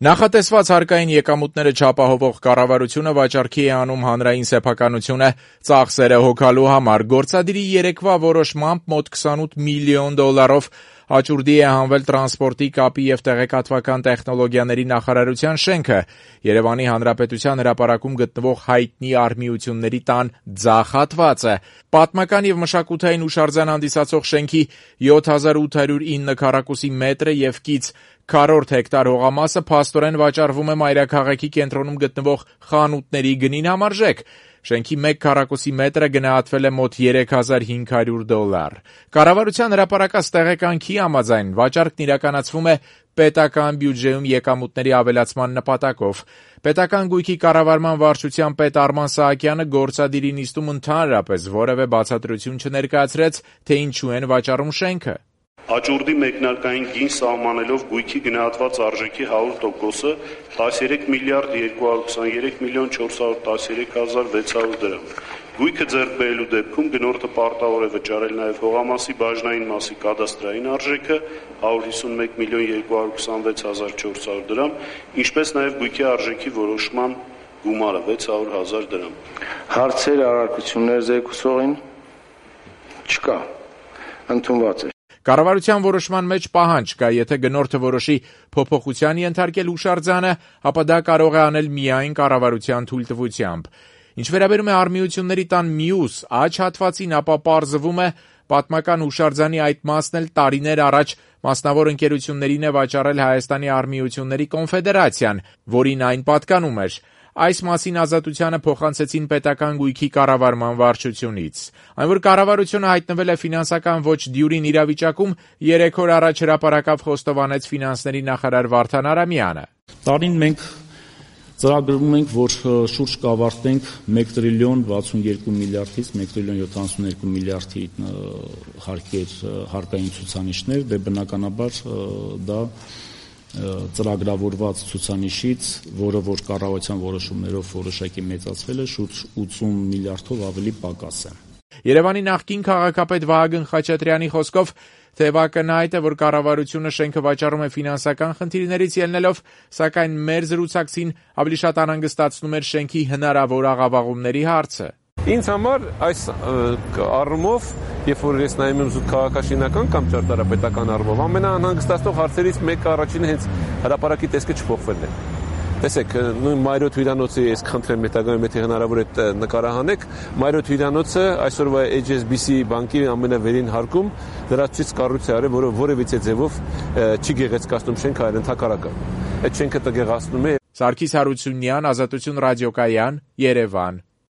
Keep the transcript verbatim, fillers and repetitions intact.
Նախատեսված հարկային եկամուտները չապահովող կառավարությունը վաճառքի է անում հանրային սեփականությունը ծախսերը հոգալու համար։ Գործադիրի երեկվա որոշմամբ մոտ քսանութ միլիոն դոլարով աճուրդի է հանվել տրանսպորտի, կապի և տեղեկատվական տեխնոլոգիաների նախարարության շենքը։ Երևանի Հանրապետության հրապարակում գտնվող հայտնի արհմիությունների տան ձախ հատվածը։ Պատմական և մշակութային հուշարձան հանդիսացող շենքի յոթ հազար ութ հարյուր ինը քառակուսի մետրը և կից քառորդ հեկտար հողամասը փաստորեն վաճառվում է մայրաքաղաքի կենտրոնում գտնվող խանութների գնին համարժեք։ Շենքի մեկ քառակուսի մետրը գնահատվել է մոտ երեք հազար հինգ հարյուր դոլար։ Կառավարության հրապարակած տեղեկանքի համաձայն վաճառքն իրականացվում է պետական բյուջեում եկամուտների ավելացման նպատակով։ Պետական գույքի կառավարման վարչության պետ Արման Սահակյանը գործադիրի նիստում ընդհանրապես որևէ բացատրություն չներկայացրեց, թե ինչու են վաճառում շենքը։ Աճուրդի մեկնարկային գին սահմանելով գույքի գնահատված արժեքի հարյուր տոկոսը տասներեք միլիարդ երկու հարյուր քսաներեք միլիոն չորս հարյուր տասներեք հազար վեց հարյուր դրամ։ Գույքը ձեռք բերելու դեպքում գնորդը պարտավոր է վճարել նաև հողամասի բաժնային մասի կադաստրային արժեքը հարյուր հիսունմեկ միլիոն երկու հարյուր քսանվեց հազար չորս հարյուր դրամ, ինչպես նաև գույքի արժեքի որոշման գումարը վեց հարյուր հազար դրամ։ Հարցեր, առարկություններ զեկուցողին չկա, ընդունված է։ Կառավարության որոշման մեջ պահանջ կա, եթե գնորդը որոշի փոփոխության ենթարկել հուշարձանը, ապա դա կարող է անել միայն կառավարության թույլտվությամբ։ Ինչ վերաբերում է արհմիությունների տան մյուս աջ հատվածին, ապա պարզվում է, պատմական հուշարձանի այդ մասն էլ տարիներ առաջ մասնավոր ընկերություններին է վաճառել Հայաստանի արհմիությունների կոնֆեդերացիան, որին այն պատկանում էր։ Այս մասին ազատությանը փոխանցեցին պետական գույքի կառավարման վարչությունից։ Այն, որ կառավարությունը հայտնվել է ֆինանսական ոչ դյուրին իրավիճակում, երեք օր առաջ հրապարակավ խոստովանեց ֆինանսների նախարար Վարդան Արամյանը։ Տարին մենք ծրագրում ենք, որ շուրջ կավարտենք մեկ տրիլիոն վաթսուներկու միլիարդից մեկ տրիլիոն յոթանասունյոթ միլիարդի հարկեր հարկային ցուցանիշներ, դե բնականաբար դա ծրագրավորված ցուցանիշից, որը որ կառավարության որոշումներով որոշակի մեծացվել է, շուրջ ութսուն միլիարդով ավելի պակաս է։ Երևանի նախկին քաղաքապետ Վահագն Խաչատրյանի խոսքով թեւակնհայտ է, որ կառավարությունը շենքը վաճառում է ֆինանսական խնդիրներից ելնելով, սակայն մեր զրուցակցին ավելի շատ անհանգստացնում էր շենքի հնարավոր աղավաղումների հարցը։ Ինձ համար այս առումով, երբ որ ես նայում եմ զուտ քաղաքաշինական կամ ճարտարապետական առումով, ամենաանհանգստացնող հարցերից մեկը առաջինը հենց հրապարակի տեսքը չփոխվելն է։ Տեսեք, նույն Մայրոթ հյուրանոցը ես խնդրեմ հետագայում եթե հնարավոր է նկարահանեք, Մայրոթ հյուրանոցը այսօրվա Էյչ Էս Բի Սի բանկի ամենավերին հարկում դրացուցիչ կառույց է արել, որը որևիցե ձևով չի գեղեցկացնում շենքը, այլ ընդհակառակը։ Այդ շենքը տգեղացնում է։ Սարգիս Հարությունյան, Ազատություն ռադիոկայան, Երևան։